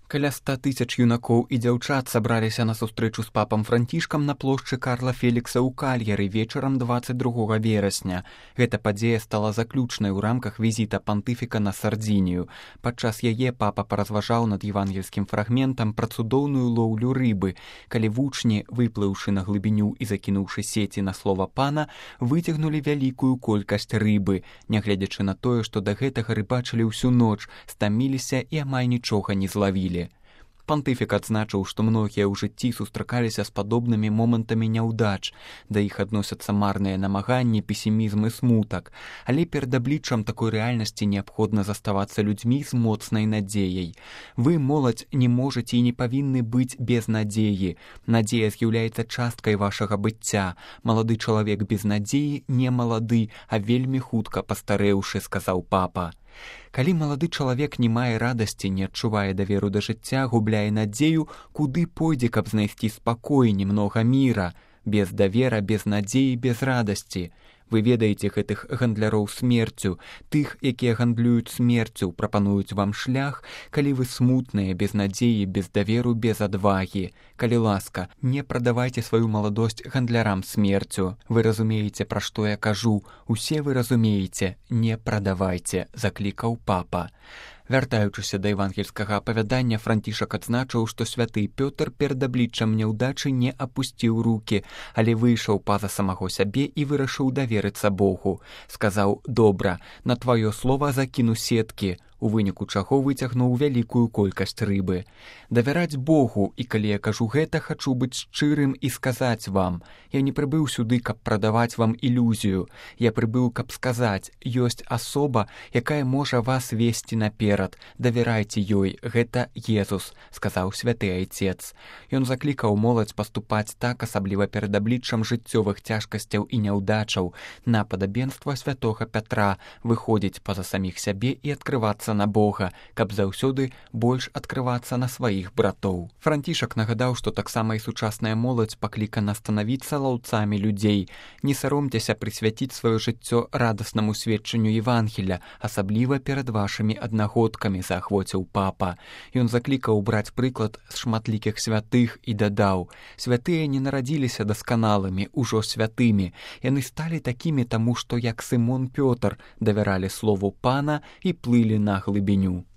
Каля 100 тысяч юнакоў і дзяўчат сабраліся на сустрэчу з папам Францішкам на плошчы Карла Фелікса ў Кальяры вечарам 22 верасня. Гэта падзея стала заключнай у рамках візіта пантыфіка на Сардзінію. Падчас яе папа паразважаў над евангельскім фрагментам пра цудоўную лоўлю рыбы, калі вучні, выплыўшы на глыбіню і закінуўшы сеці на слова пана, выцягнулі вялікую колькасць рыбы, нягледзячы на тое, што да гэтага рыбачылі ўсю ноч, стаміліся і амаль нічога не злавілі. Пантыфік адзначыў, што многія ў жыцці сустракаліся з падобнымі момантамі няўдач, да іх адносяцца марныя намаганні, песімізм і смутак, але перад абліччам такой рэальнасці неабходна заставацца людзьмі з моцнай надзеяй. Вы, моладзь, не можаце і не павінны быць без надзеі. Надзея з'яўляецца часткай вашага быцця. Малады чалавек без надзеі не малады, а вельмі хутка пастарэўшы, сказаў папа. Калі малады чалавек не мае радасці, не адчувае даверу да жыцця, губляе надзею, куды пойдзе, каб знайсці спакой, немнога міра? Без давера, без надзеі, без радасці. Вы ведаеце гэтых гандляроў смерцю, тых, якія гандлююць смерцю, прапануюць вам шлях, калі вы смутныя, без надзеі, без даверу, без адвагі. Калі ласка, не прадавайце сваю маладосць гандлярам смерцю. Вы разумееце, пра што я кажу, усе вы разумееце, не прадавайце, заклікаў папа. Вяртаючыся да евангельскага апавядання, Францішак адзначыў, што святы Пётр перад абліччам няўдачы не апусціў рукі, але выйшаў па-за самаго сябе і вырашыў даверыцца Богу. Сказаў: «Добра, на тваё слова закіну сеткі», у выніку чаго выцягнуў вялікую колькасць рыбы. Давяраць Богу, і калі я кажу гэта, хачу быць шчырым і сказаць вам. Я не прыбыў сюды, каб прадаваць вам ілюзію. Я прыбыў, каб сказаць, ёсць асоба, якая можа вас весці наперад. Давярайце ёй, гэта Езус, сказаў святы айцец. Ён заклікаў моладзь паступаць так, асабліва перад абліччам жыццёвых цяжкасцяў і няўдачаў, на падабенства святога Пятра, выходзіць па-за саміх сябе і адкрывацца на Бога, каб заўсёды больш адкрывацца на сваіх братоў. Францішак нагадаў, што таксама і сучасная моладзь паклікана станавіцца лаўцамі людзей. Не саромцеся прысвяціць сваё жыццё радаснаму сведчанню Евангелля, асабліва перад вашымі аднагодкамі, заахвоціў папа. Ён заклікаў браць прыклад з шматлікіх святых і дадаў: святыя не нарадзіліся дасканалымі, ужо святымі. Яны сталі такімі таму, што, як Сымон Пётр, давяралі слову пана і плылі на глыбіню.